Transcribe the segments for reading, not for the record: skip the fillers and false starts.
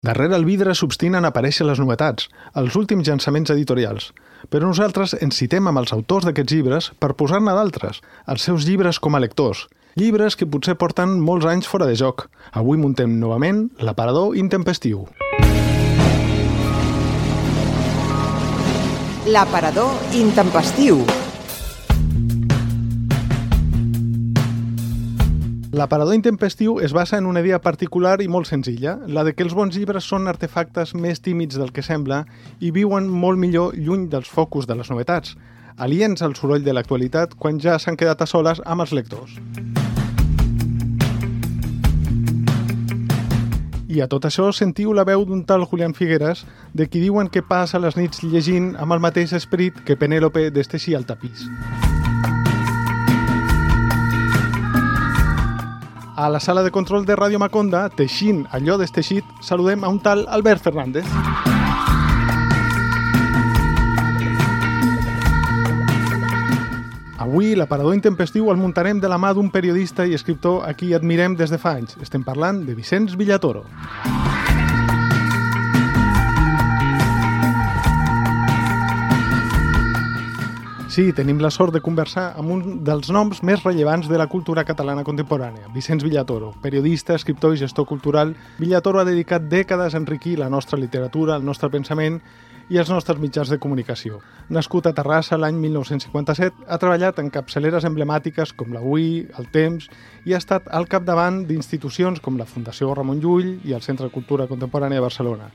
Darrere el vidre s'obstinen a aparèixer les novetats, els últims llançaments editorials. Però nosaltres ens citem amb els autors d'aquests llibres per posar-ne d'altres, els seus llibres com a lectors. Llibres que potser porten molts anys fora de joc. Avui muntem novament L'aparador intempestiu. L'aparador intempestiu. L'aparador intempestiu es basa en una idea particular i molt senzilla, la de que els bons llibres són artefactes més tímids del que sembla i viuen molt millor lluny dels focus de les novetats, aliens al soroll de l'actualitat quan ja s'han quedat a soles amb els lectors. I a tot això sentiu la veu d'un tal Julián Figueras, de qui diuen que passa les nits llegint amb el mateix esperit que Penèlope d'Esteixir al tapís. A la sala de control de Ràdio Maconda, teixint allò desteixit, saludem a un tal Albert Fernández. Avui l'aparador intempestiu el muntarem de la mà d'un periodista i escriptor a qui admirem des de fa anys. Estem parlant de Vicenç Villatoro. Sí, tenim la sort de conversar amb un dels noms més rellevants de la cultura catalana contemporània, Vicenç Villatoro. Periodista, escriptor i gestor cultural, Villatoro ha dedicat dècades a enriquir la nostra literatura, el nostre pensament i els nostres mitjans de comunicació. Nascut a Terrassa l'any 1957, ha treballat en capçaleres emblemàtiques com l'Avui, el Temps, i ha estat al capdavant d'institucions com la Fundació Ramon Llull i el Centre de Cultura Contemporània de Barcelona.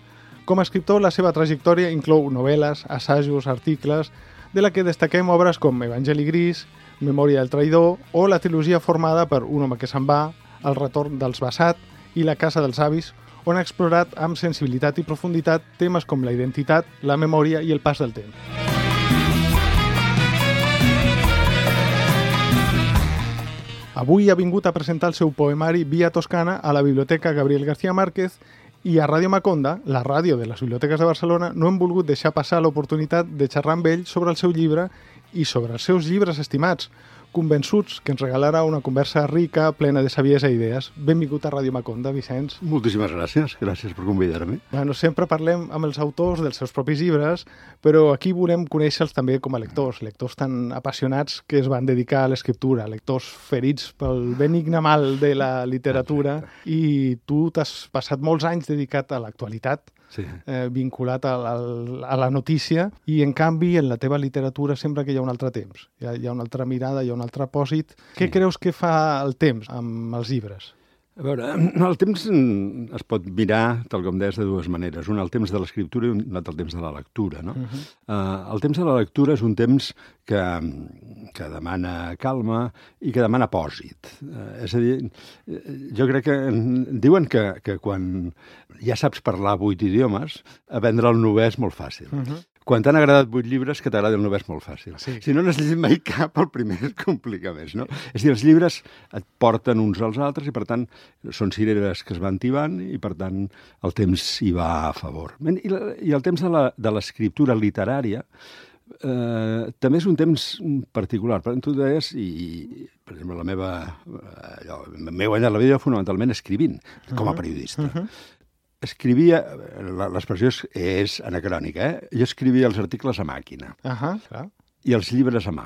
Com a escriptor, la seva trajectòria inclou novel·les, assajos, articles, de la que destaquem obres com Evangeli Gris, Memòria del traïdor o la trilogia formada per Un home que se'n va, El retorn dels Bassat i La casa dels avis, on ha explorat amb sensibilitat i profunditat temes com la identitat, la memòria i el pas del temps. Avui ha vingut a presentar el seu poemari Via Toscana a la Biblioteca Gabriel García Márquez i a Ràdio Maconda, la ràdio de les biblioteques de Barcelona, no hem volgut deixar passar l'oportunitat de xerrar amb ell sobre el seu llibre i sobre els seus llibres estimats, convençuts que ens regalarà una conversa rica, plena de saviesa i idees. Benvingut a Ràdio Maconda, Vicenç. Moltíssimes gràcies per convidar-me. Bueno, sempre parlem amb els autors dels seus propis llibres, però aquí volem conèixer-los també com a lectors tan apassionats que es van dedicar a l'escriptura, lectors ferits pel benigne mal de la literatura. Exacte. I tu t'has passat molts anys dedicat a l'actualitat, sí. Vinculat a la notícia, i en canvi en la teva literatura sembla que hi ha un altre temps, hi ha una altra mirada, hi ha un altre apòsit. Sí. Què creus que fa el temps amb els llibres? A veure, el temps es pot mirar, tal com deies, de dues maneres. Un, el temps de l'escriptura, i un altre, el temps de la lectura, no? El temps de la lectura és un temps que demana calma i que demana pòsit. És a dir, jo crec que diuen que quan ja saps parlar 8 idiomes, aprendre el 9è és molt fàcil. Quan t'han agradat 8 llibres, que t'agradi el 9è és molt fàcil. Sí. Si no n'has llegit mai cap, el primer es complica més, no? És a dir, els llibres et porten uns als altres i, per tant, són cireres que es van tibant i, per tant, el temps hi va a favor. I el temps de l'escriptura literària també és un temps particular. Per tant, tu deies, i per exemple, m'he guanyat la vida fonamentalment escrivint, com a periodista. Escrivia, l'expressió és anacrònica, Jo escrivia els articles a màquina i els llibres a mà.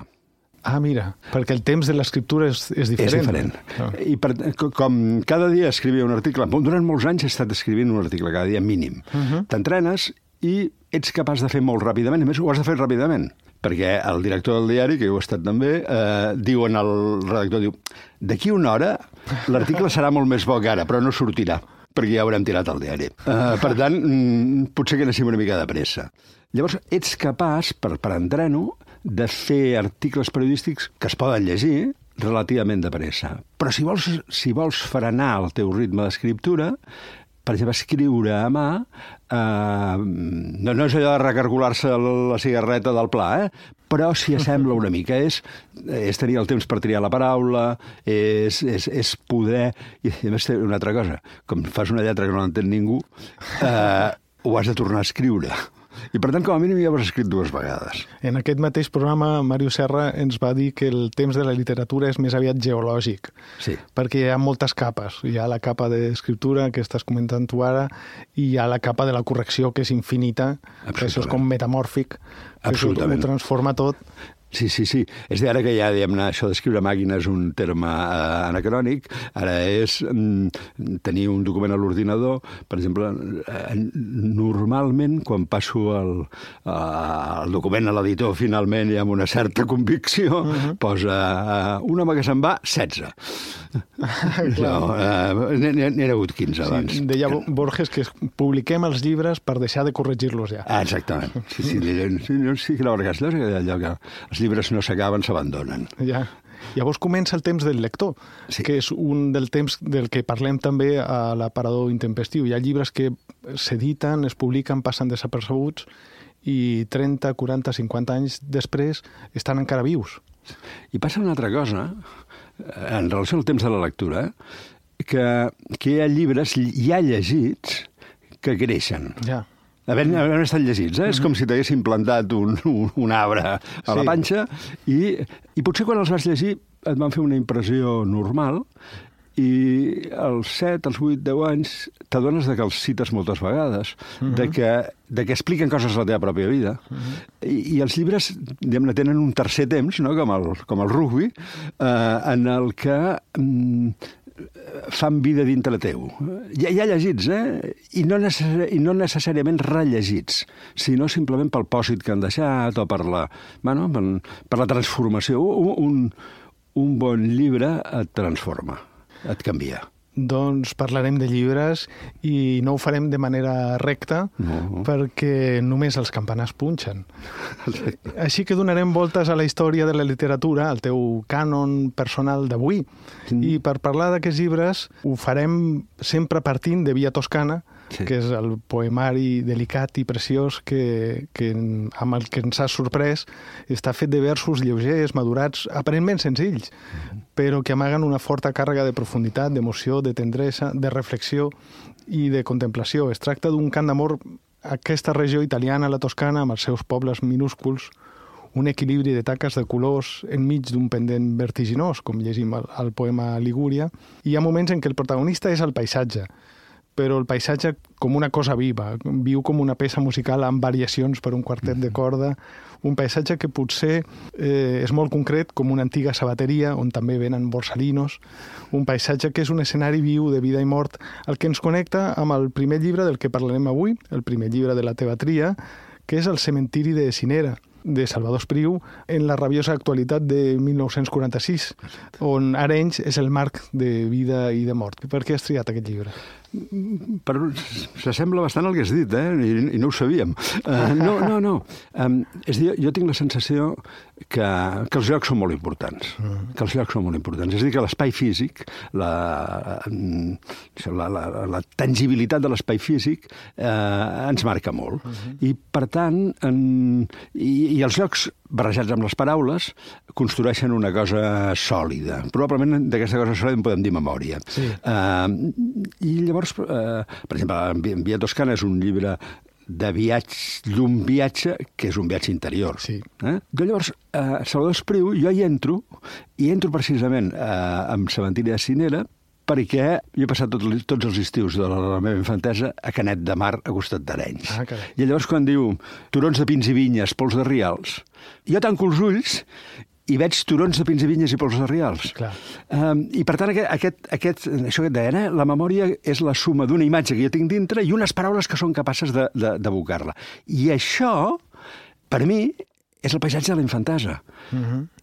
Ah, mira, perquè el temps de l'escriptura és diferent. És diferent. I com cada dia escrivia un article, durant molts anys he estat escrivint un article cada dia mínim. T'entrenes i ets capaç de fer molt ràpidament, a més ho has de fer ràpidament, perquè el director del diari, que jo he estat també, diuen al redactor, d'aquí una hora l'article serà molt més bo que ara, però no sortirà, perquè ja haurem tirat el diari. Per tant, potser que anéssim una mica de pressa. Llavors, ets capaç, per entreno, de fer articles periodístics que es poden llegir relativament de pressa. Però si vols frenar el teu ritme d'escriptura, per exemple, escriure a mà, no és allò de recargolar-se la cigarreta del pla, però s'hi assembla una mica. És tenir el temps per triar la paraula, és poder... I a més, una altra cosa, com fas una lletra que no l'entén ningú, ho has de tornar a escriure. I per tant, com a mínim, ja ho has escrit 2 vegades. En aquest mateix programa, Màrius Serra ens va dir que el temps de la literatura és més aviat geològic, Sí. perquè hi ha moltes capes. Hi ha la capa d'escriptura, que estàs comentant tu ara, i hi ha la capa de la correcció, que és infinita, que això és com metamòrfic, que això ho transforma tot. Sí. És d'ara que ja, diguem-ne, això d'escriure màquina és un terme anacrònic. Ara és tenir un document a l'ordinador. Per exemple, normalment, quan passo el document a l'editor, finalment, i amb una certa convicció, posa un home que se'n va, 16. N'hi ha hagut 15 abans. Sí, deia Borges que publiquem els llibres per deixar de corregir-los ja. Exactament. Sí, que la veritat és allò que els llibres no s'acaben, s'abandonen. Ja. Llavors comença el temps del lector, que és un del temps del que parlem també a l'aparador intempestiu. Hi ha llibres que s'editen, es publiquen, passen desapercebuts i 30, 40, 50 anys després estan encara vius. I passa una altra cosa, en relació al temps de la lectura, que hi ha llibres ja llegits que creixen. Ja. Havent estat llegits, És com si t'haguessin plantat un arbre a la panxa i potser quan els vas llegir et van fer una impressió normal i als 7, als 8, 10 anys t'adones que els cites moltes vegades, de que expliquen coses de la teva pròpia vida. I els llibres, diguem-ne, tenen un tercer temps, no? com el rugby, en el que fan vida dintre teu. Ja llegits, I no necessàriament rellegits, sinó simplement pel pòsit que han deixat o per la transformació. Un bon llibre et transforma, et canvia. Doncs parlarem de llibres i no ho farem de manera recta perquè només els campanars punxen. Així que donarem voltes a la història de la literatura, al teu cànon personal d'avui. I per parlar d'aquests llibres ho farem sempre partint de Via Toscana, que és el poemari delicat i preciós amb el que ens ha sorprès. Està fet de versos lleugers, madurats, aparentment senzills, però que amaguen una forta càrrega de profunditat, d'emoció, de tendresa, de reflexió i de contemplació. Es tracta d'un cant d'amor a aquesta regió italiana, la Toscana, amb els seus pobles minúsculs, un equilibri de taques de colors enmig d'un pendent vertiginós, com llegim al poema Ligúria. Hi ha moments en què el protagonista és el paisatge, però el paisatge com una cosa viva, viu com una peça musical amb variacions per un quartet de corda, un paisatge que potser és molt concret, com una antiga sabateria, on també venen borsalinos, un paisatge que és un escenari viu de vida i mort, el que ens connecta amb el primer llibre del que parlarem avui, el primer llibre de la teva tria, que és El cementiri de Cinera, de Salvador Espriu, en la rabiosa actualitat de 1946, on Arenys és el marc de vida i de mort. Per què has triat aquest llibre? S'assembla bastant al que has dit, I no ho sabíem. No. És a dir, jo tinc la sensació que els llocs són molt importants. És a dir, que l'espai físic, la tangibilitat de l'espai físic ens marca molt. I, per tant, i els llocs barrejats amb les paraules construeixen una cosa sòlida. Probablement d'aquesta cosa sòlida en podem dir memòria. Sí. I llavors, per exemple, Via Toscana és un llibre d'un viatge que és un viatge interior. Sí. Llavors, Salvador Espriu, jo hi entro precisament amb Cementiri de Cinera, perquè jo he passat tots els estius de la meva infantesa a Canet de Mar, a costat d'Arenys. I llavors quan diu turons de pins i vinyes, pols de rials, jo tanco els ulls i veig turons de pins i vinyes i pols de rials. I per tant, això que et deia, la memòria és la suma d'una imatge que jo tinc dintre i unes paraules que són capaces d'evocar-la. I això, per mi, és el paisatge de la infantesa.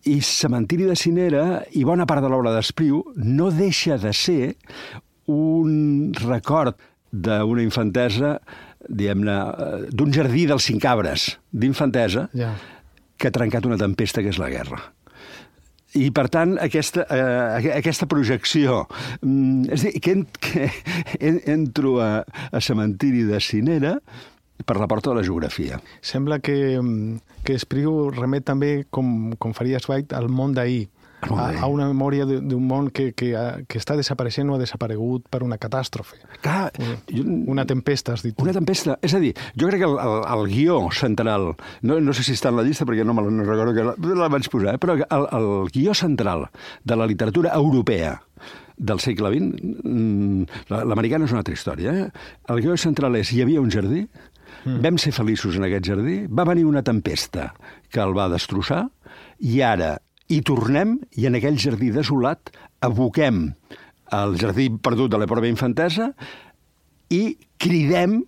I Cementiri de Cinera i bona part de l'obra d'Espriu no deixa de ser un record d'una infantesa, diguem-ne, d'un jardí dels 5 arbres d'infantesa que ha trencat una tempesta que és la guerra. I, per tant, aquesta projecció... És a dir, que entro a Cementiri de Cinera per la porta de la geografia. Sembla que Espriu remet també, com faria Zweig, al món d'ahir, a una memòria d'un món que està desapareixent o ha desaparegut per una catàstrofe. Clar, una tempesta, has dit. Una tempesta. És a dir, jo crec que el guió central, no sé si està en la llista perquè no recordo que la vaig posar, però el guió central de la literatura europea del segle XX, l'americana és una altra història, el guió central és: hi havia un jardí, vam ser feliços en aquest jardí, va venir una tempesta que el va destrossar, i ara hi tornem, i en aquell jardí desolat aboquem el jardí perdut de la pròpia infantesa i cridem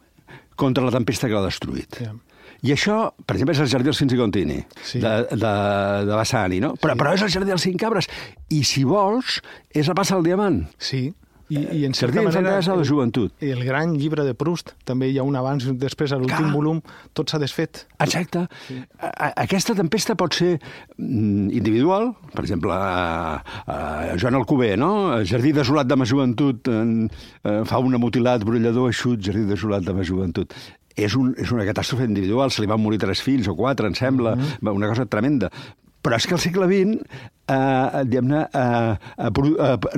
contra la tempesta que l'ha destruït. Yeah. I això, per exemple, és el jardí dels Cinc i Contini, sí, de Bassani, no? Però és el jardí dels Cinc Cabres. I, si vols, és la Passa del Diamant. Sí. I en certa manera, de la joventut. El gran llibre de Proust, també hi ha un abans i un després, a l'últim volum, tot s'ha desfet. Exacte. Sí. Aquesta tempesta pot ser individual, per exemple, Joan Alcover, no? Jardí desolat de ma joventut, fa un mutilat, brollador, eixut, jardí desolat de ma joventut. És una catàstrofe individual, se li van morir 3 fills o 4, em sembla, una cosa tremenda. Però és que el segle XX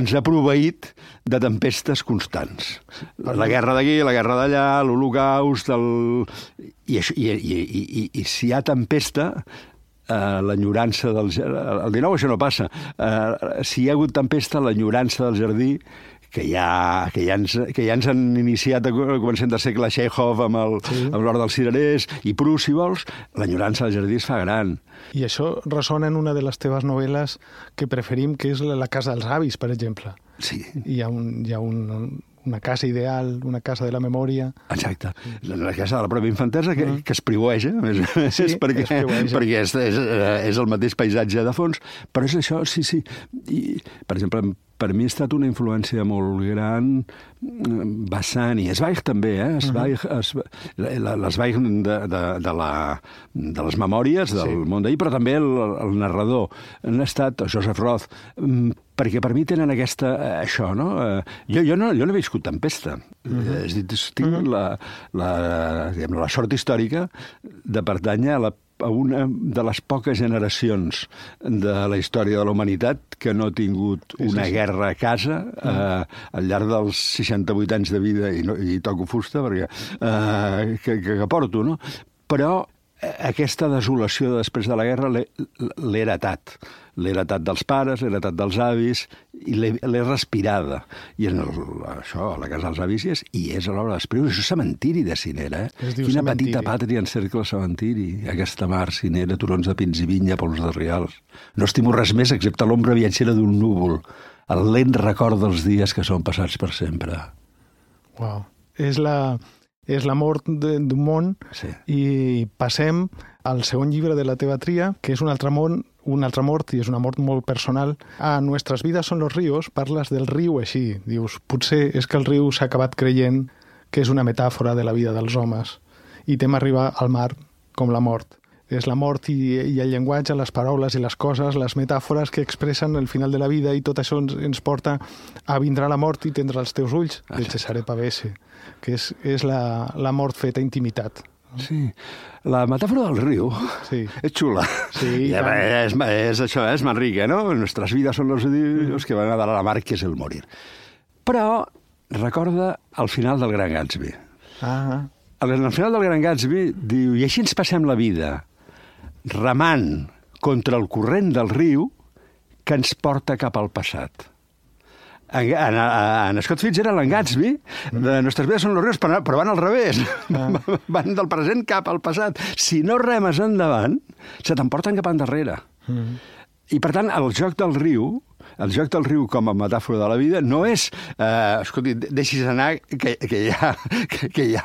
ens ha proveït de tempestes constants. La guerra d'aquí, la guerra d'allà, l'Holocaust... I si hi ha tempesta, l'enyorança del... El 19 això no passa. Si hi ha hagut tempesta, l'enyorança del jardí, que ja ens han iniciat a començament del segle Chekhov amb l'Hora dels Cirerers i Proust, si vols, l'enyorança del jardí es fa gran. I això ressona en una de les teves novel·les que preferim, que és La casa dels avis, per exemple. Sí. Hi ha una casa ideal, una casa de la memòria. Exacte. La casa de la pròpia infantesa que es priueja, perquè és el mateix paisatge de fons, però és això, sí. I, per exemple, per mi ha estat una influència molt gran Bassani, Zweig també, Zweig de les memòries del món d'ahir, però també el narrador. Han estat Joseph Roth, perquè per mi tenen això, no? Jo no he viscut tempesta. És a dir, tinc la sort històrica de pertànyer a una de les poques generacions de la història de la humanitat que no ha tingut una guerra a casa al llarg dels 68 anys de vida, i toco fusta perquè que porto, no? Però aquesta desolació després de la guerra l'he heretat. L'he heretat dels pares, l'he heretat dels avis, i l'he respirada. I això, a la casa dels avis, i és a l'hora d'espriure. Això és cementiri de Cinera, Quina petita pàtria encercla el cementiri. Aquesta mar, Cinera, turons de pins i vinya, pols de rials. No estimo res més excepte l'ombra viatgera d'un núvol, el lent record dels dies que són passats per sempre. Uau. És la mort d'un món, i passem al segon llibre de la teva tria, que és un altre mort, i és una mort molt personal. Nuestras vidas son los ríos, parles del riu així. Dius, potser és que el riu s'ha acabat creient que és una metàfora de la vida dels homes, i tem arribar al mar com la mort. És la mort i el llenguatge, les paraules i les coses, les metàfores que expressen el final de la vida, i tot això ens porta a vindrà la mort i tindrà els teus ulls, de Cesare Pavese, que és la mort feta intimitat. Sí, la metàfora del riu és xula. Sí, és això, és Manrique, no? Nuestras vidas son los ríos que van a dar a la mar, que és el morir. Però recorda el final del Gran Gatsby. Al final del Gran Gatsby diu, i així ens passem la vida, remant contra el corrent del riu que ens porta cap al passat. En Scott Fitz era l'en Gatsby, de Nuestras vidas son los ríos, però van al revés. Van del present cap al passat. Si no remes endavant, se t'emporten cap endarrere. I, per tant, el joc del riu com a metàfora de la vida no és, escolti, deixis anar que ja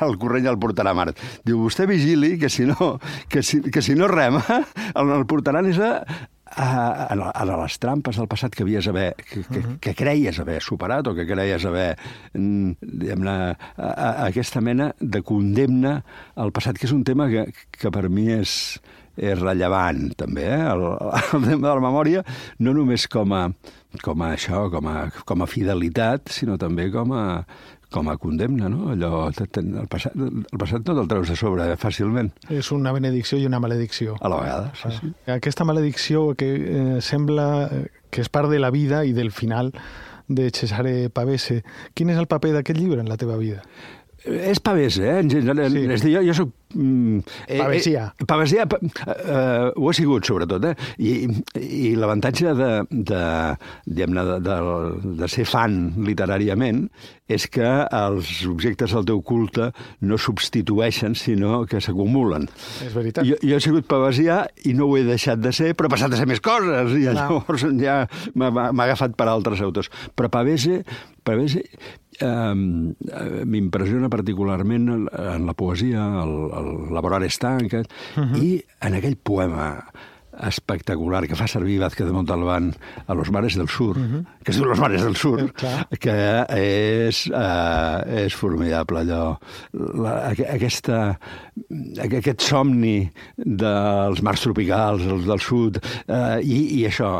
el corrent ja el portarà a mar. Diu, vostè vigili que si no rema, el portaran a les trampes del passat que havies que creies haver superat, o que creies haver aquesta mena de condemna al passat, que és un tema que per mi és rellevant, també, el tema de la memòria, no només com a fidelitat, sinó també com a condemna, no? El passat no te'l treus de sobre fàcilment. És una benedicció i una maledicció. A la vegada, sí. Aquesta maledicció que sembla que és part de la vida i del final de Cesare Pavese. Quin és el paper d'aquest llibre en la teva vida? És Pavese, en general. Sí. És a dir, jo soc... Pavesià. Pavesià ho he sigut, sobretot. I l'avantatge de ser fan literàriament és que els objectes del teu culte no substitueixen, sinó que s'acumulen. És veritat. Jo he sigut pavesià i no ho he deixat de ser, però he passat a ser més coses, i llavors ja m'ha agafat per altres autors. Però Pavese m'impressiona particularment en la poesia, el Lavorare stanca, i en aquell poema espectacular que fa servir Vázquez de Montalbán a Los mares del sur, que es diu Los mares del sur, que és formidable allò. Aquest somni dels mars tropicals, els del sud, i això,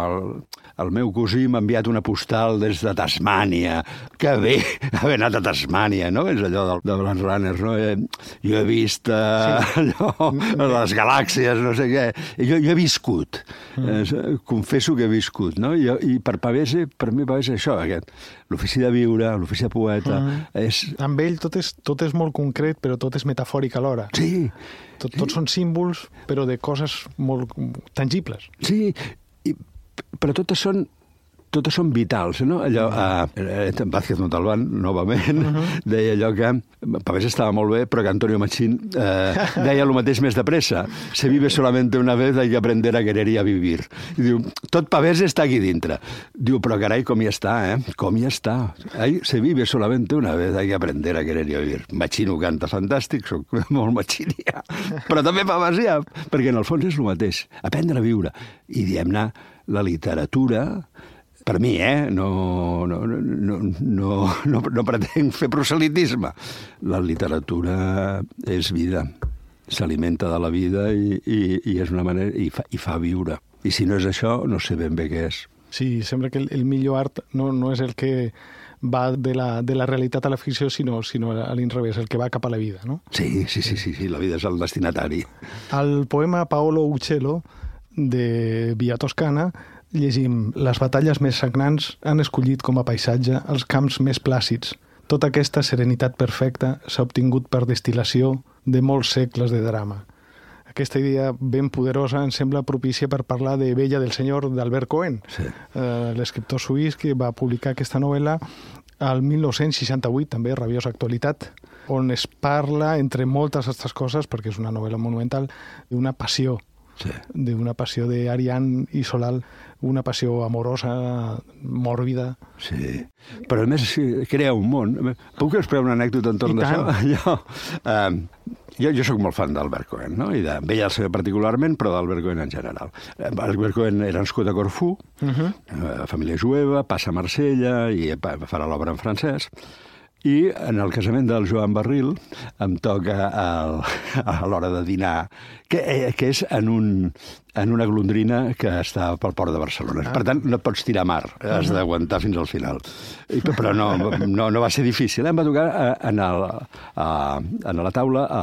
el meu cosí m'ha enviat una postal des de Tasmània. Que bé haver anat a Tasmània, no? És allò de Blade Runner, no? Jo he vist allò, les galàxies, no sé què. Jo he viscut. Confesso que he viscut, no? I per Pavese, per mi Pavese és això, l'ofici de viure, l'ofici de poeta. Amb ell tot és molt concret, però tot és metafòric alhora. Sí. Tots són símbols, però de coses molt tangibles. Sí, però totes són vitals, no? Allò, Vázquez Montalbán, novament, deia allò que Pavese estava molt bé, però que Antonio Machín deia el mateix més de pressa. Se vive solamente una vez, hay que aprender a querer y a vivir. I diu, tot Pavese està aquí dintre. Diu, però carai, com hi està, Com hi està. Se vive solamente una vez, hay que aprender a querer y a vivir. Machín ho canta fantàstic, soc molt machinià, però també pavesià, perquè en el fons és el mateix. Aprendre a viure. I diem-ne, la literatura, per mi, no pretenc fer proselitisme. La literatura és vida, s'alimenta de la vida i és una manera, i fa viure. I si no és això, no sé ben bé què és. Sí, sembla que el millor art no és el que va de la realitat a la ficció, sinó a l'inrevés, el que va cap a la vida, no? Sí, la vida és el destinatari. Al poema Paolo Uccello, de Via Toscana, llegim: les batalles més sagnants han escollit com a paisatge els camps més plàcids. Tota aquesta serenitat perfecta s'ha obtingut per destil·lació de molts segles de drama. Aquesta idea ben poderosa ens sembla propícia per parlar de Bella del Senyor d'Albert Cohen, l'escriptor suís que va publicar aquesta novel·la al 1968, també, rabiosa actualitat, on es parla, entre moltes altres coses, perquè és una novel·la monumental, d'una passió, d'una passió d'Ariane i Solal, una passió amorosa, mòrbida. Sí, però a més crea un món. Puc explicar una anècdota entorn d'això? Jo soc molt fan d'Albert Cohen, no? I de Bella del Senyor particularment, però d'Albert Cohen en general. Albert Cohen era nascut a Corfú, família jueva, passa a Marsella i farà l'obra en francès. I en el casament del Joan Barril em toca a l'hora de dinar, que és en una golondrina que està pel port de Barcelona. Per tant, no et pots tirar a mar, has d'aguantar fins al final. Però no va ser difícil. Em va tocar a la taula a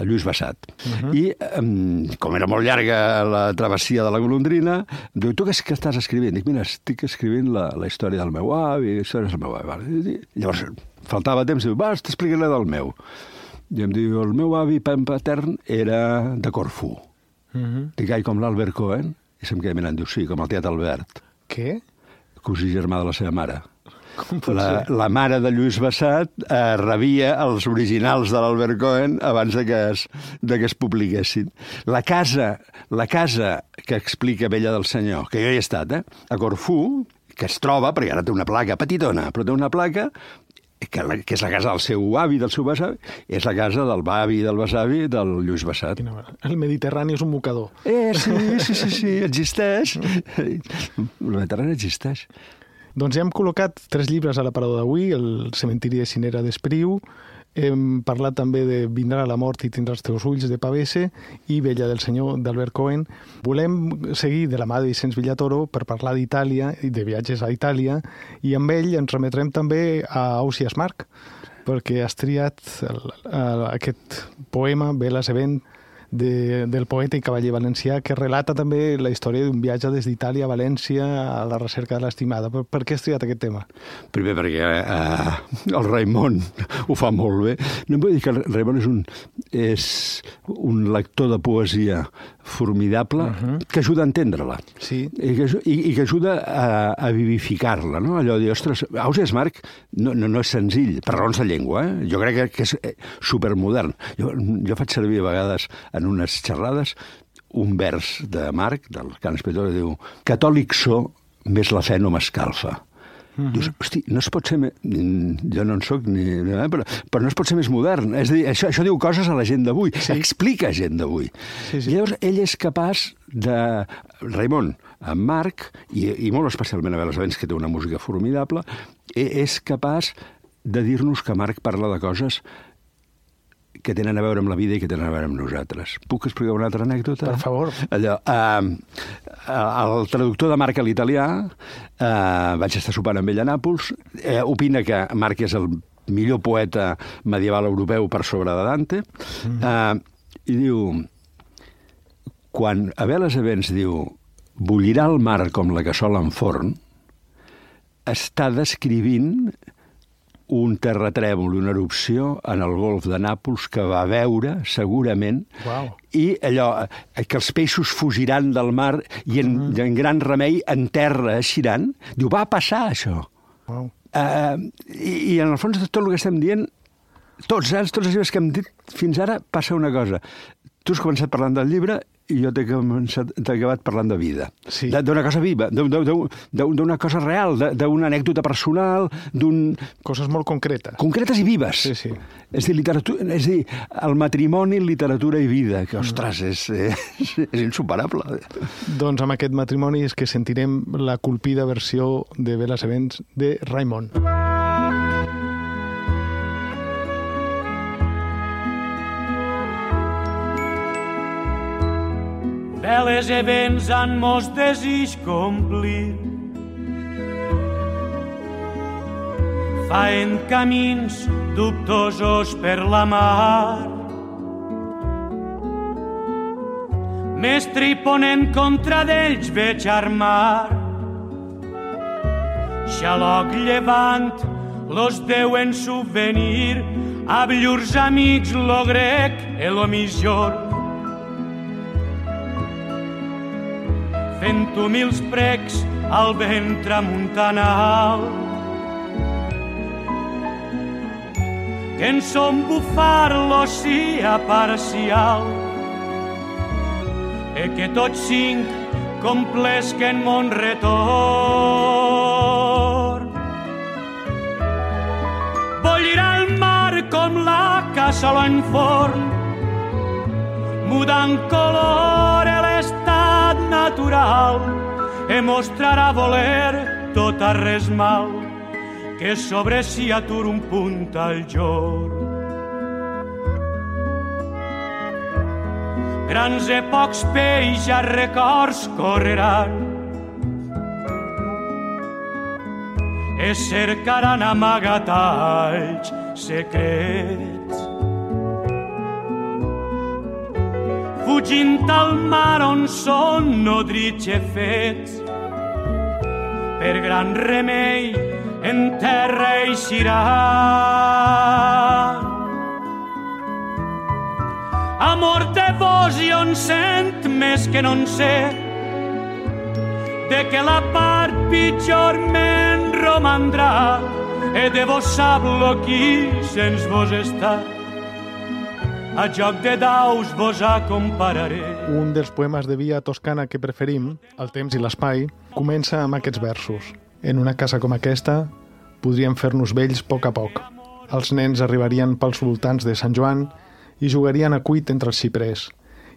Lluís Bassat. I com era molt llarga la travessia de la golondrina, em diu, tu què estàs escrivint? Dic, mira, estic escrivint la història del meu avi, històries del meu avi. Llavors, faltava temps, diu, t'explicaré del meu. I em diu, el meu avi patern era de Corfú. Dic, com l'Albert Cohen? I se'm queda mirant, diu, sí, com el tiet Albert. Què? Cosí germà de la seva mare. Com pot ser? La mare de Lluís Bassat rebia els originals de l'Albert Cohen abans de que es publiquessin. La casa que explica Bella del Senyor, que jo hi he estat, a Corfú, que es troba, perquè ara té una placa petitona, però té una placa que és la casa del seu avi, del seu besavi, és la casa del avi i del besavi del Lluís Bassat. El Mediterrani és un mocador. Sí, existeix. El Mediterrani existeix. Doncs ja hem col·locat 3 llibres a l'aparador d'avui, el Cementiri de Cinera d'Espriu, hem parlat també de Vindrà la mort i tindrà els teus ulls, de Pavese, i Bella del Senyor, d'Albert Cohen. Volem seguir de la mà de Vicenç Villatoro per parlar d'Itàlia i de viatges a Itàlia, i amb ell ens remetrem també a Ausiàs March, perquè has triat aquest poema, Velas e vent, del poeta i cavaller valencià, que relata també la història d'un viatge des d'Itàlia a València a la recerca de l'estimada. Per què has triat aquest tema? Primer perquè el Raimon ho fa molt bé. No em vull dir que el Raimon és un lector de poesia formidable que ajuda a entendre-la. Sí. I que ajuda a vivificar-la, no? Allò de dir, ostres, Ausiàs March no és senzill, per raons de llengua, Jo crec que és supermodern. Jo faig servir a vegades en unes xerrades un vers de March, del Cant Espiritual, que diu: catòlic so, més la fe no m'escalfa. Dius, hosti, no es pot ser... Jo no en soc ni... Però no es pot ser més modern. És a dir, això diu coses a la gent d'avui. Sí. Explica a gent d'avui. Sí. I llavors ell és capaç de... Raimon, en March, i molt especialment a Veles Avents, que té una música formidable, és capaç de dir-nos que March parla de coses que tenen a veure amb la vida i que tenen a veure amb nosaltres. Puc explicar una altra anècdota? Per favor. Allò, el traductor de March a l'italià, vaig estar sopant amb ell a Nàpols, opina que March és el millor poeta medieval europeu per sobre de Dante, i diu, quan a Veles Avents diu bullirà el mar com la cassola en forn, està descrivint un terratrèmol, una erupció en el golf de Nàpols que va veure, segurament, i allò, que els peixos fugiran del mar i en gran remei en terra eixiran. Diu, va passar això. I en el fons de tot el que estem dient, tots els llibres que hem dit fins ara, passa una cosa. Tu has començat parlant del llibre i jo t'he acabat parlant de vida. Sí. D'una cosa viva, d'una cosa real, d'una anècdota personal, coses molt concretes. Concretes i vives. Sí, sí. És dir, el matrimoni, literatura i vida, que, ostres, és insuperable. Doncs amb aquest matrimoni és que sentirem la colpida versió de Veles Avents de Raimon. Veles Avents han mos desig complir. Faen camins dubtosos per la mar. Mestre i ponent contra d'ells veig armar. Xaloc llevant los deuen subvenir a llurs amics lo grec e lo millor. Fent humils precs al vent tramuntanal, que en son bufar l'oceà parcial, e que tots cinc complesquen mon retorn. Bullirà el mar com la cassola en forn, mudant color a l'estat natural, e mostrarà voler tot a res mal, que sobre si atur un punt al jorn. Grans e pocs peix a records correran, e cercaran amagatalls secrets. Fugint al mar on són nodrits i fets, per gran remei en terra eixiran. Amor de vos i on sent més que no en sé, de que la part pitjor me'n romandrà, e de vos sap lo qui sens vos està. A joc de daus vos acompararé. Un dels poemes de via toscana que preferim, El temps i l'espai, comença amb aquests versos. En una casa com aquesta, podríem fer-nos vells a poc. Els nens arribarien pels voltants de Sant Joan i jugarien a cuit entre els xiprers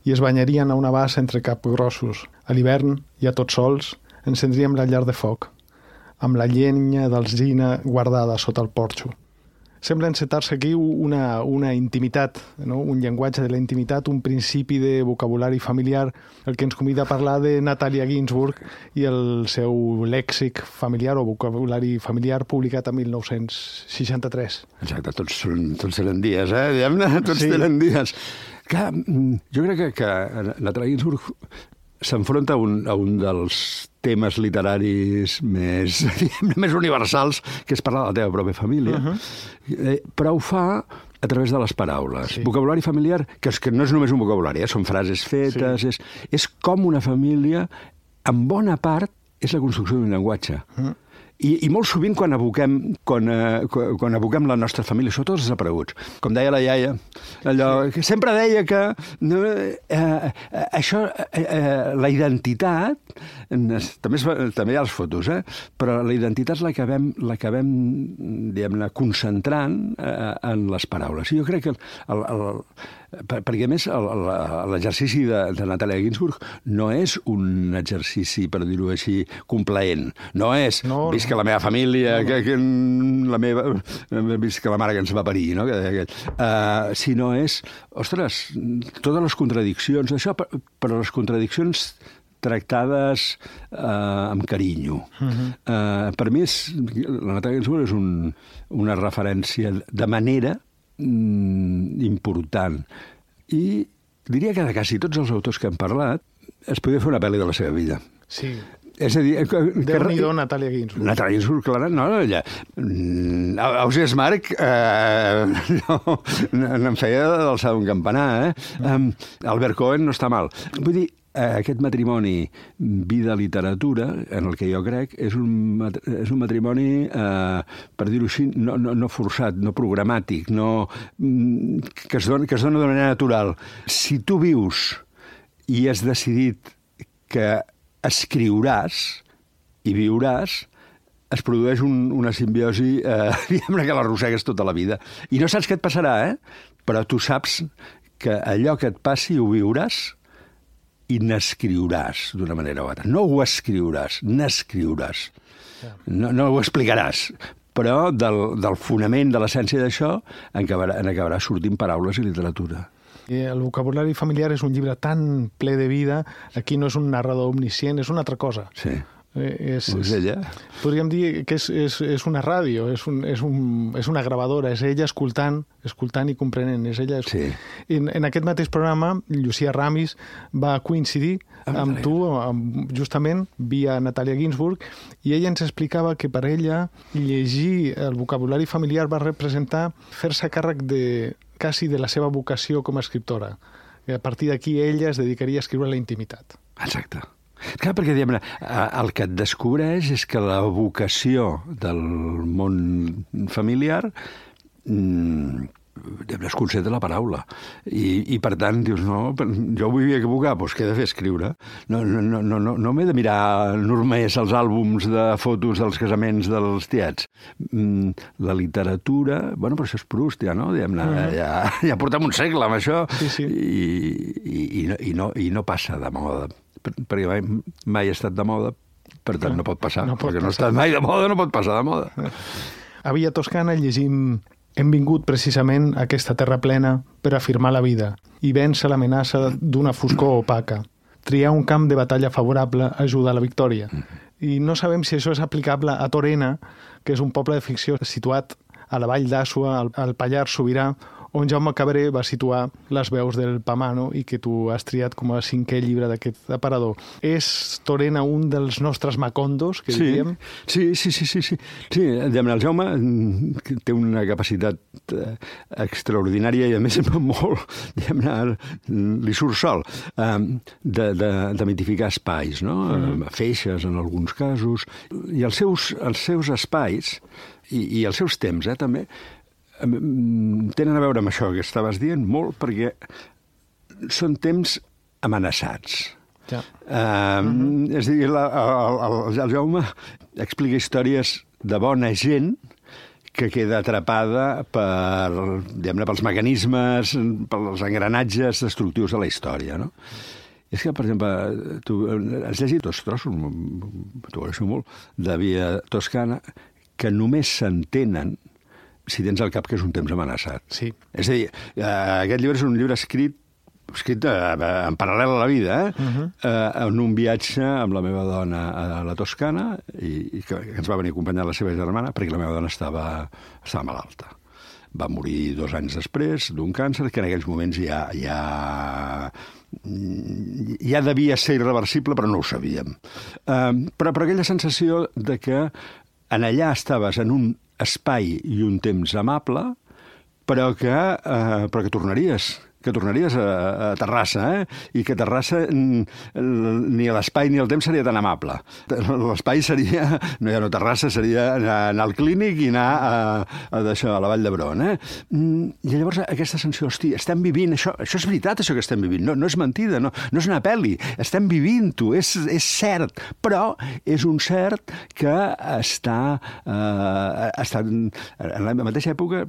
i es banyarien a una bassa entre capgrossos. A l'hivern, ja tots sols, encendríem la llar de foc, amb la llenya d'alzina guardada sota el porxo. Sembla encetar-se aquí una intimitat, no? Un llenguatge de la intimitat, un principi de vocabulari familiar, el que ens convida a parlar de Natàlia Ginsburg i el seu lèxic familiar o vocabulari familiar publicat en 1963. Exacte, tots eren dies, diguem-ne, tots tenen dies. Clar, jo crec que Natalia Ginzburg s'enfronta a un dels temes literaris més universals, que és parlar de la teva pròpia família, però ho fa a través de les paraules. Sí. Vocabulari familiar, que no és només un vocabulari, són frases fetes, sí. És com una família, en bona part, és la construcció d'un llenguatge. I molt sovint quan evoquem la nostra família, sobretot els desapareguts. Com deia la iaia, allò que sempre deia que això, la identitat, també hi ha les fotos, però la identitat l'acabem diguem-ne, concentrant en les paraules. I jo crec que perquè, a més, l'exercici de Natalia Ginzburg no és un exercici, per dir-ho així, complaent. No és, visca la meva família, visca la mare que ens va parir, no? Sinó és, ostres, totes les contradiccions, això, però les contradiccions tractades amb carinyo. Per mi, la Natalia Ginzburg és una referència de manera important. I diria que de quasi tots els autors que han parlat es podia fer una pel·li de la seva vida. Sí. És a dir... Déu-n'hi-do, Natalia Ginzburg. Natalia Ginzburg, clar, no, ella... Ausiàs Marc n'en feia d'alçar d'un campanar, Albert Cohen no està mal. Vull dir, aquest matrimoni vida-literatura, en el que jo crec, és un matrimoni, per dir-ho així, no forçat, no programàtic, que es dona de manera natural. Si tu vius i has decidit que escriuràs i viuràs, es produeix una simbiosi que l'arrossegues tota la vida. I no saps què et passarà, però tu saps que allò que et passi ho viuràs i n'escriuràs d'una manera o altra. No ho escriuràs, n'escriuràs. No ho explicaràs, però del fonament, de l'essència d'això, en acabarà sortint paraules i literatura. El vocabulari familiar és un llibre tan ple de vida, aquí no és un narrador omniscient, és una altra cosa. Sí. És ella. Podríem dir que és una ràdio, és una gravadora, és ella escoltant i comprenent. És ella. Sí. En aquest mateix programa, Llucia Ramis va coincidir amb tu, justament, via Natalia Ginzburg, i ella ens explicava que per ella llegir el vocabulari familiar va representar fer-se càrrec quasi de la seva vocació com a escriptora. I a partir d'aquí ella es dedicaria a escriure la intimitat. Exacte. Clar, perquè el que et descobreix és que la vocació del món familiar es concentra la paraula. I per tant, dius, no, jo vull equivocar, doncs què he de fer? Escriure. No m'he de mirar només els àlbums de fotos dels casaments dels tiets. La literatura, bueno, però això és Proust, ja, no? Ja portem un segle amb això. Sí. I no passa de moda. Perquè mai ha estat de moda, per tant no pot passar. Perquè no ha estat mai de moda, no pot passar de moda. A Villa Toscana llegim: hem vingut precisament a aquesta terra plena per afirmar la vida i vèncer l'amenaça d'una foscor opaca. Triar un camp de batalla favorable ajuda a la victòria. I no sabem si això és aplicable a Torena, que és un poble de ficció situat a la vall d'Àssua, al Pallars Sobirà, on Jaume Cabré va situar les veus del Pamano i que tu has triat com a 5è llibre d'aquest aparador. És Torena un dels nostres macondos, que diríem? Sí. El Jaume té una capacitat extraordinària i a més molt, li surt sol, de mitificar espais, no? Feixes en alguns casos, i els seus espais i els seus temps, també, tenen a veure amb això que estaves dient molt, perquè són temps amenaçats. Ja. És a dir, el Jaume explica històries de bona gent que queda atrapada pels mecanismes, pels engranatges destructius de la història, no? És que, per exemple, tu has llegit dos trossos, t'ho agraeixo molt, de Via Toscana, que només s'entenen si tens al cap que és un temps amenaçat. Sí. És a dir, aquest llibre és un llibre escrit en paral·lel a la vida, en un viatge amb la meva dona a la Toscana, i que ens va venir a acompanyar la seva germana, perquè la meva dona estava malalta. Va morir 2 anys després d'un càncer que en aquells moments ja devia ser irreversible, però no ho sabíem. Però aquella sensació de que en allà estaves en un espai i un temps amable, però que tornaries a Terrassa, i que Terrassa ni l'espai ni el temps seria tan amable. L'espai seria, Terrassa seria anar al clínic i anar a la Vall d'Hebron. I llavors aquesta sensació, hosti, estem vivint, això és veritat, això que estem vivint, no és mentida, no és una pel·li, estem vivint-ho, és cert, però és un cert que està en la mateixa època,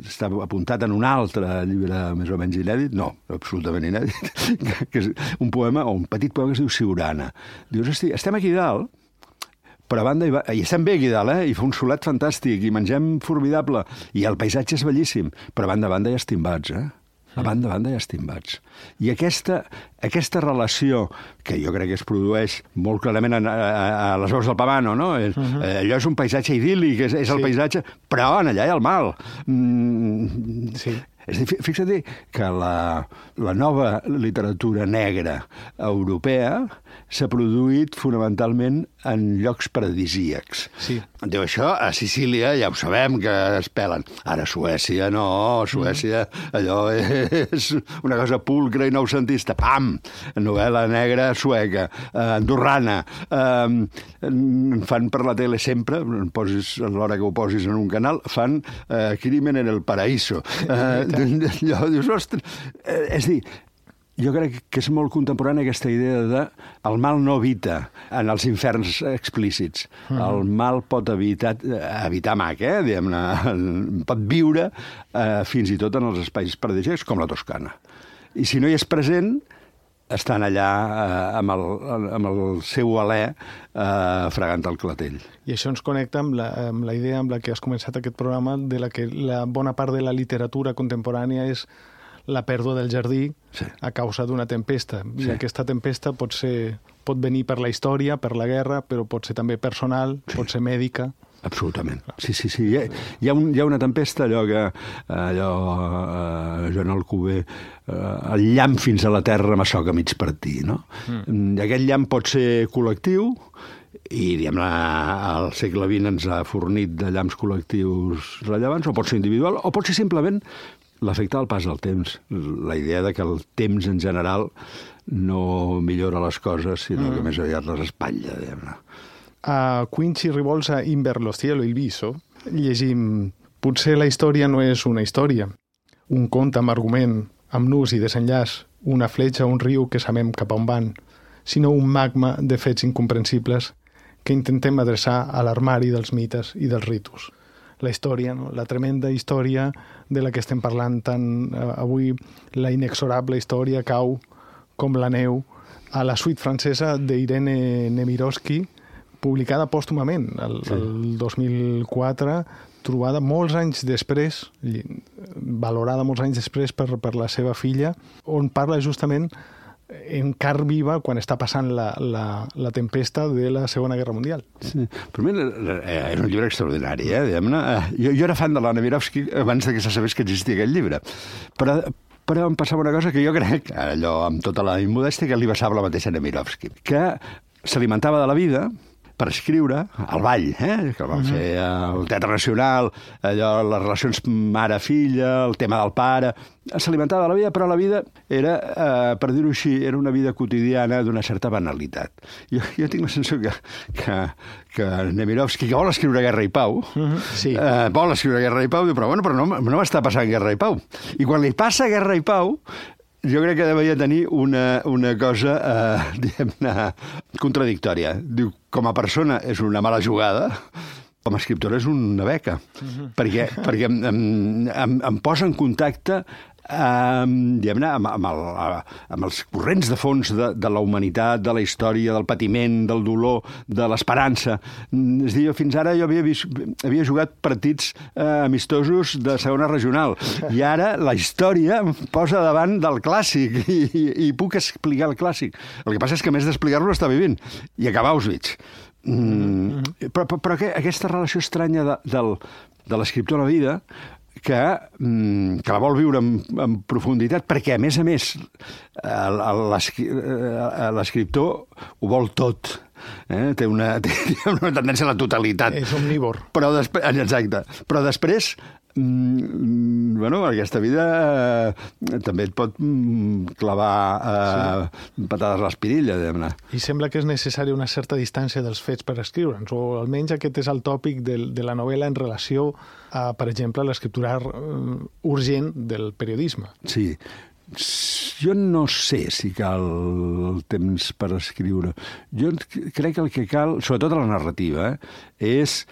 està apuntat en un altre llibre més o menys inèdit, no, absolutament inèdit, que és un poema, o un petit poema que es diu Siurana. Dius, hosti, estem aquí dalt, però a banda i estem bé aquí dalt, i fa un solet fantàstic, i mengem formidable, i el paisatge és bellíssim, però a banda hi ha estimbats, A banda hi ha estimbats. I aquesta relació, que jo crec que es produeix molt clarament a les veus del Pavano, no? Allò és un paisatge idíl·lic, és el paisatge, però en allà hi ha el mal. Sí. És a dir, fixa't que la nova literatura negra europea s'ha produït fonamentalment en llocs paradisíacs. Sí. Diu, això a Sicília ja ho sabem que es pelen. Ara a Suècia no, Suècia allò és una cosa pulcra i noucentista. Pam! Novel·la negra sueca, andorrana. Fan per la tele sempre, a l'hora que ho posis en un canal, fan Crimen en el Paraíso. Allò, dius, ostres... És dir, jo crec que és molt contemporània aquesta idea de el mal no habita en els inferns explícits. El mal pot habitar mac, diguem-ne, pot viure fins i tot en els espais paradisíacs, com la Toscana. I si no hi és present, estan allà amb el seu alè fregant el clatell. I això ens connecta amb la idea amb la que has començat aquest programa, de la que la bona part de la literatura contemporània és la pèrdua del jardí a causa d'una tempesta. I aquesta tempesta pot venir per la història, per la guerra, però pot ser també personal, pot ser mèdica. Absolutament. Sí. Hi ha una tempesta, Joan Alcover, el llamp fins a la terra m'assoca mig partir, no? Aquest llamp pot ser col·lectiu, i diguem-ne, el segle XX ens ha fornit de llamps col·lectius rellevants, o pot ser individual, o pot ser simplement l'efecte del pas del temps, la idea de que el temps en general no millora les coses, sinó que més aviat les espatlla, diguem-ne. A Quincy Ribolsa Inver lo cielo il viso llegim: potser la història no és una història, un conte amb argument, amb nus i desenllaç, una fletxa o un riu que sabem cap a on van, sinó un magma de fets incomprensibles que intentem adreçar a l'armari dels mites i dels ritus. La història, la tremenda història de la que estem parlant tant avui, la inexorable història cau com la neu a la suite francesa d'Irene Nemirovsky, publicada pòstumament el 2004, trobada molts anys després, valorada molts anys després per la seva filla, on parla justament en carn viva quan està passant la tempesta de la Segona Guerra Mundial. Sí. Per mi és un llibre extraordinari, diguem-ne. Jo era fan de la Nemirovsky abans que se sabés que existia aquest llibre. Però em passava una cosa que jo crec, allò amb tota la immodèstia, que li passava la mateixa Nemirovsky, que s'alimentava de la vida per escriure el ball, que el van fer al Teatre Nacional, allò, les relacions mare-filla, el tema del pare. S'alimentava de la vida, però la vida era, per dir-ho així, era una vida quotidiana d'una certa banalitat. Jo tinc la sensació que Nemirovsky, que vol escriure Guerra i Pau, vol escriure Guerra i Pau, diu, però no m'està passant Guerra i Pau. I quan li passa Guerra i Pau, jo crec que devia tenir una cosa, diguem-ne, contradictòria. Diu, com a persona és una mala jugada, com a escriptora és una beca, perquè em posa en contacte diguem-ne, amb els corrents de fons de la humanitat, de la història, del patiment, del dolor, de l'esperança. És a dir, fins ara jo havia jugat partits amistosos de segona regional, i ara la història em posa davant del clàssic i puc explicar el clàssic. El que passa és que, a més d'explicar-lo, està vivint i acaba Auschwitz. Però aquesta relació estranya de l'escriptor a la vida, que la vol viure en profunditat, perquè, a més, l'escriptor ho vol tot. Té una tendència a la totalitat. És omnívor. Exacte. Però després, aquesta vida també et pot clavar patades a l'espirilla, diguem-ne. I sembla que és necessària una certa distància dels fets per escriure'ns, o almenys aquest és el tòpic de la novel·la en relació a, per exemple, l'escriptura urgent del periodisme. Sí. Jo no sé si cal temps per escriure. Jo crec que el que cal, sobretot a la narrativa, és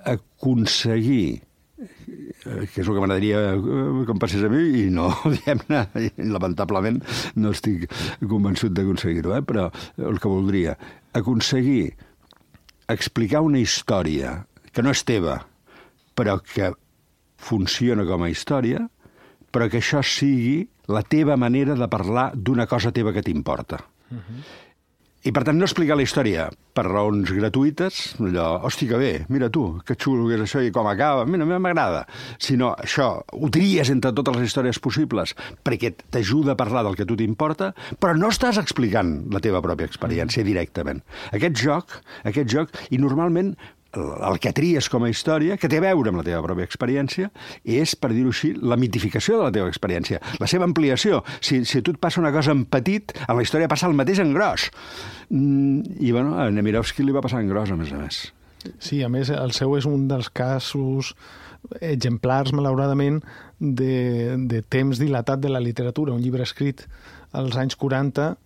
aconseguir, que és el que m'agradaria que em passés a mi, i no, diguem-ne, lamentablement no estic convençut d'aconseguir-ho, però el que voldria, aconseguir explicar una història que no és teva, però que funciona com a història, però que això sigui la teva manera de parlar d'una cosa teva que t'importa. I, per tant, no explicar la història per raons gratuïtes, allò, hòstia, que bé, mira tu, que xulo que és això i com acaba, mira, a mi m'agrada. Sinó, això, ho tries entre totes les històries possibles perquè t'ajuda a parlar del que a tu t'importa, però no estàs explicant la teva pròpia experiència directament. Aquest joc, i normalment el que tries com a història, que té a veure amb la teva pròpia experiència, és, per dir-ho així, la mitificació de la teva experiència, la seva ampliació. Si a tu et passa una cosa en petit, a la història passa el mateix en gros. I, a Nemirovsky li va passar en gros, a més. Sí, a més, el seu és un dels casos exemplars, malauradament, de temps dilatat de la literatura. Un llibre escrit als anys 40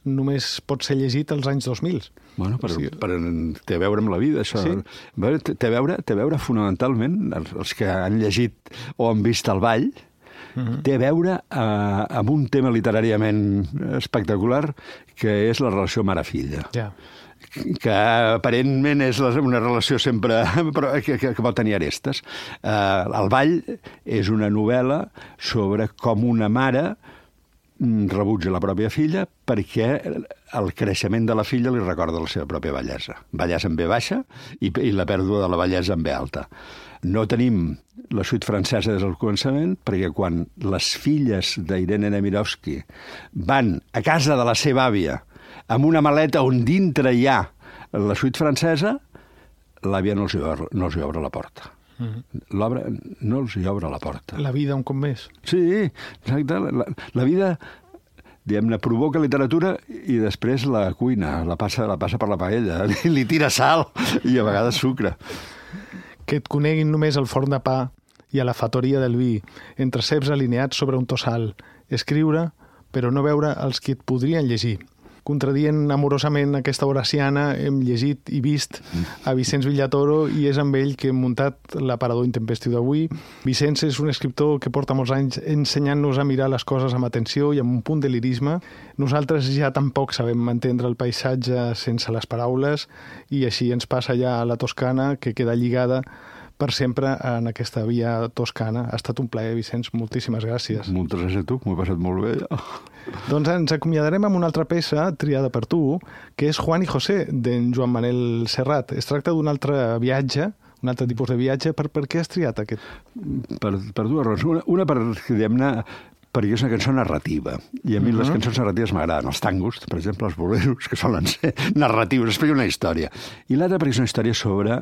només pot ser llegit als anys 2000. Té a veure amb la vida, això. Sí. Té a veure fonamentalment, els que han llegit o han vist El Ball, té a veure amb un tema literàriament espectacular, que és la relació mare-filla. Ja. Que aparentment és una relació sempre que pot tenir arestes. El Ball és una novel·la sobre com una mare rebutja la pròpia filla perquè el creixement de la filla li recorda la seva pròpia bellesa. Bellesa en B baixa i la pèrdua de la bellesa en B alta. No tenim la suite francesa des del començament perquè quan les filles d'Irene Nemirovsky van a casa de la seva àvia amb una maleta on dintre hi ha la suite francesa, l'àvia no els hi obre la porta. L'obra no els hi obre la porta. La vida un cop més. Sí, exacte. La vida, diguem-ne, provoca literatura i després la cuina, la passa per la paella, li tira sal i a vegades sucre. Que et coneguin només el forn de pa i a la fatoria del vi, entre ceps alineats sobre un tossal, escriure, però no veure els que et podrien llegir. Contradient amorosament aquesta horaciana, hem llegit i vist a Vicenç Villatoro i és amb ell que hem muntat l'aparador intempestiu d'avui. Vicenç és un escriptor que porta molts anys ensenyant-nos a mirar les coses amb atenció i amb un punt de lirisme. Nosaltres ja tampoc sabem entendre el paisatge sense les paraules i així ens passa ja a la Toscana, que queda lligada per sempre en aquesta via toscana. Ha estat un plaer, Vicenç. Moltíssimes gràcies. Moltes gràcies a tu, m'ho he passat molt bé. Doncs ens acomiadarem amb una altra peça triada per tu, que és Juan y José, d'en Joan Manel Serrat. Es tracta d'un altre viatge, un altre tipus de viatge. Per què has triat aquest? Per dues raons. Una per, diguem-ne, perquè és una cançó narrativa. I a mi les cançons narratives m'agraden. Els tangos, per exemple, els boleros, que solen ser narratius, explica una història. I l'altra perquè és una història sobre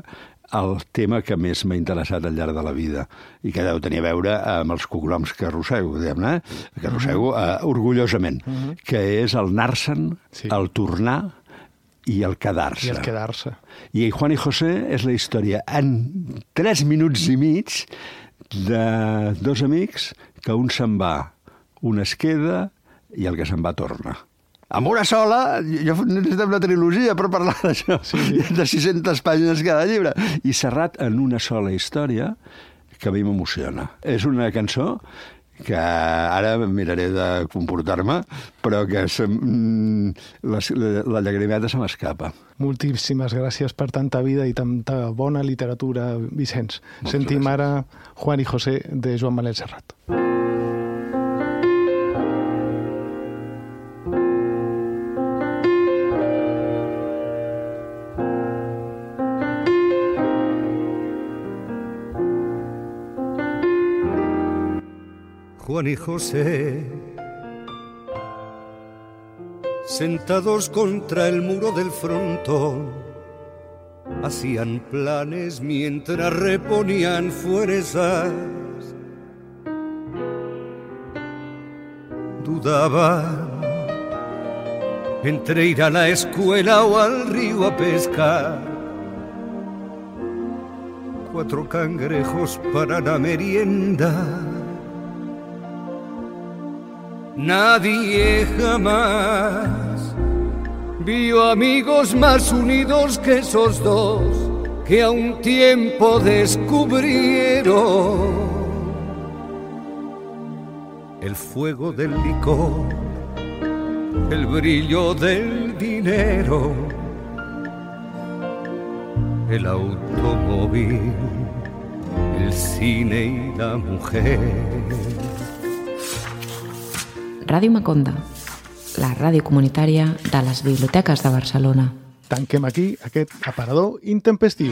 el tema que més m'ha interessat al llarg de la vida i que deu tenir a veure amb els cognoms que arrossego, diguem-ne, que arrossego orgullosament, que és el anar-se'n, el tornar i el quedar-se. I el quedar-se. I Juan y José és la història en 3 minuts i mig de dos amics que un se'n va, un es queda i el que se'n va torna. Amb una sola, jo necessitem una trilogia per parlar d'això, de 600 pàgines cada llibre. I Serrat en una sola història que a mi m'emociona. És una cançó que ara miraré de comportar-me, però que la llagrimeta se m'escapa. Moltíssimes gràcies per tanta vida i tanta bona literatura, Vicenç. Sentim ara Juan y José de Joan Manel Serrat. Juan y José, sentados contra el muro del frontón, hacían planes mientras reponían fuerzas. Dudaban entre ir a la escuela o al río a pescar. 4 cangrejos para la merienda. Nadie jamás vio amigos más unidos que esos dos, que a un tiempo descubrieron el fuego del licor, el brillo del dinero, el automóvil, el cine y la mujer. Ràdio Maconda, la ràdio comunitària de les biblioteques de Barcelona. Tanquem aquí aquest aparador intempestiu.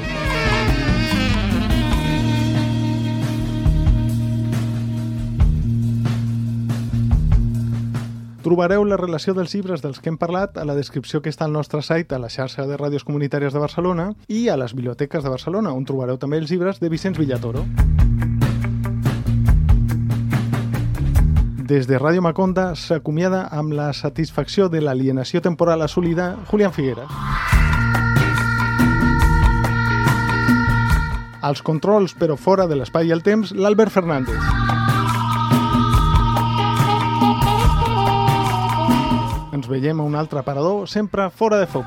Trobareu la relació dels llibres dels que hem parlat a la descripció que està al nostre site, a la xarxa de ràdios comunitàries de Barcelona i a les biblioteques de Barcelona, on trobareu també els llibres de Vicenç Villatoro. Des de Ràdio Maconda s'acomiada amb la satisfacció de l'alienació temporal assolida Julián Figueras. Als controls, però fora de l'espai i el temps, l'Albert Fernández. Ens veiem a un altre aparador, sempre fora de foc.